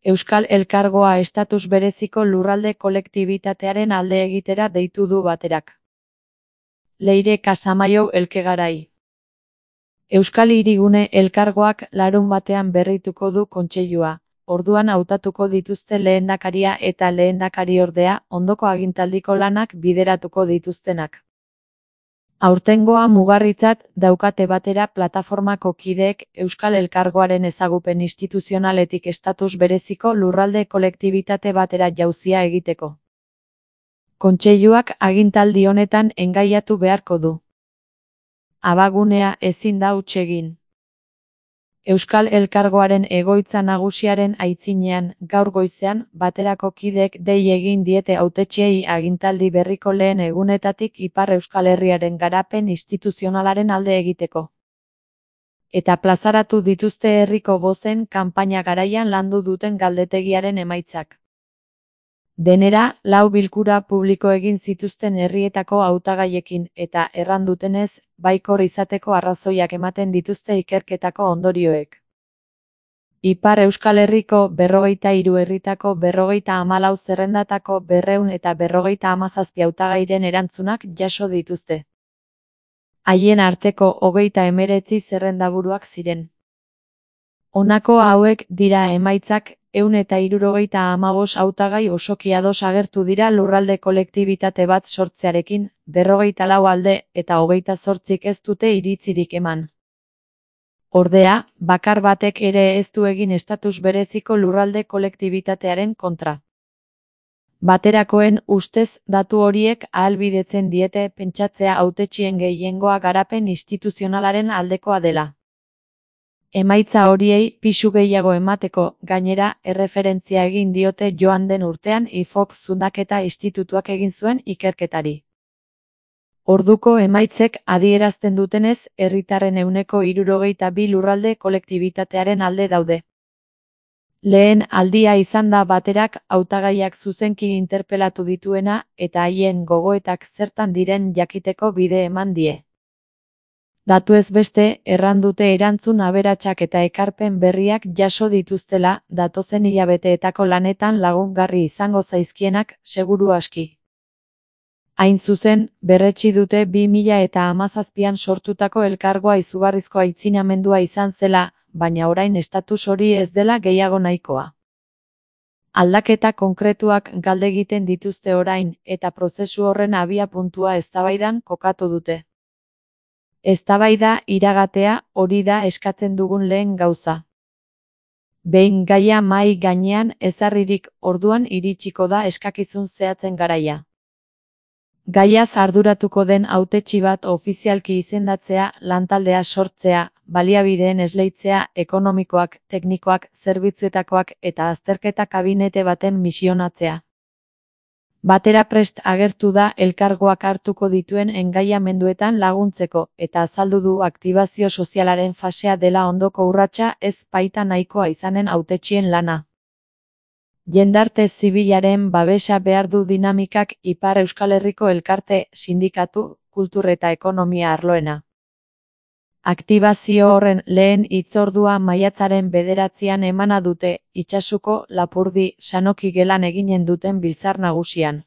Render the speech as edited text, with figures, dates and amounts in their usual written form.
Euskal Elkargoa estatus bereziko lurralde kolektibitatearen alde egitera deitu du baterak. Leire Casamaiu Elkegarai. Euskal Hirigune Elkargoak larunbatean berrituko du kontseilua, orduan hautatuko dituzte lehendakaria eta lehendakariordea, ondoko agintaldiko lanak bideratuko dituztenak. Aurtengoa mugarritzat daukate batera plataformako kideek Euskal Elkargoaren ezagupen instituzionaletik estatus bereziko lurralde kolektibitate batera jauzia egiteko. Kontseiluak agintaldi honetan engaiatu beharko du. Abagunea ezin da huts egin. Euskal Elkargoaren egoitza nagusiaren aitzinean, gaur goizean, baterako kideek dei egin diete hautetsiei agintaldi berriko lehen egunetatik Ipar Euskal Herriaren garapen instituzionalaren alde egiteko. Eta plazaratu dituzte herriko bozen kanpaina garaian landu duten galdetegiaren emaitzak. Denera, 4 bilkura publiko egin zituzten herrietako hautagaiekin eta erran dutenez, baikor izateko arrazoiak ematen dituzte ikerketako ondorioek. Ipar Euskal Herriko 43 herritako 54 zerrendatako 257 hautagairen erantzunak jaso dituzte. Haien arteko 39 zerrendaburuak ziren. Honako hauek dira emaitzak. 175 hautagai osoki ados agertu dira lurralde kolektibitate bat sortzearekin, 44 alde eta 28 ez dute iritzirik eman. Ordea, bakar batek ere ez du egin estatus bereziko lurralde kolektibitatearen kontra. Baterakoen ustez datu horiek ahalbidetzen diete pentsatzea hautetsien gehiengoa garapen instituzionalaren aldekoa dela. Emaitza horiei pisu gehiago emateko, gainera, erreferentzia egin diote joan den urtean IFOP zundaketa institutuak egin zuen ikerketari. Orduko emaitzek adierazten dutenez, herritarren 62 lurralde kolektibitatearen alde daude. Lehen aldia izan da baterak hautagaiak zuzenki interpelatu dituena eta haien gogoetak zertan diren jakiteko bide eman die. Datu ez beste, erran dute erantzun aberatsak eta ekarpen berriak jaso dituztela, datozen hilabeteetako lanetan lagungarri izango zaizkienak, seguru aski. Hain zuzen, berretsi dute 2017an sortutako elkargoa izugarrizko aitzinamendua izan zela, baina orain estatus hori ez dela gehiago nahikoa. Aldaketa konkretuak galde egiten dituzte orain, eta prozesu horren abiapuntua eztabaidan kokatu dute. Eztabaida iragatea hori da eskatzen dugun lehen gauza. Behin gaia mahai gainean ezarririk orduan iritsiko da eskakizun zehatzen garaia. Gaiaz arduratuko den hautetsi bat ofizialki izendatzea, lantaldea sortzea, baliabideen esleitzea, ekonomikoak, teknikoak, zerbitzuetakoak eta azterketa kabinete baten misionatzea. Batera prest agertu da elkargoak hartuko dituen engaiamenduetan laguntzeko eta azaldu du aktibazio sozialaren fasea dela ondoko urratsa ez baita nahikoa izanen hautetsien lana. Jendarte zibilaren babesa behar du dinamikak Ipar Euskal Herriko elkarte, sindikatu, kultur eta ekonomia arloena. Aktibazio horren lehen hitzordua maiatzaren 9an emana dute, Itsasuko, Lapurdi, Sanoki gelan eginen duten biltzar nagusian.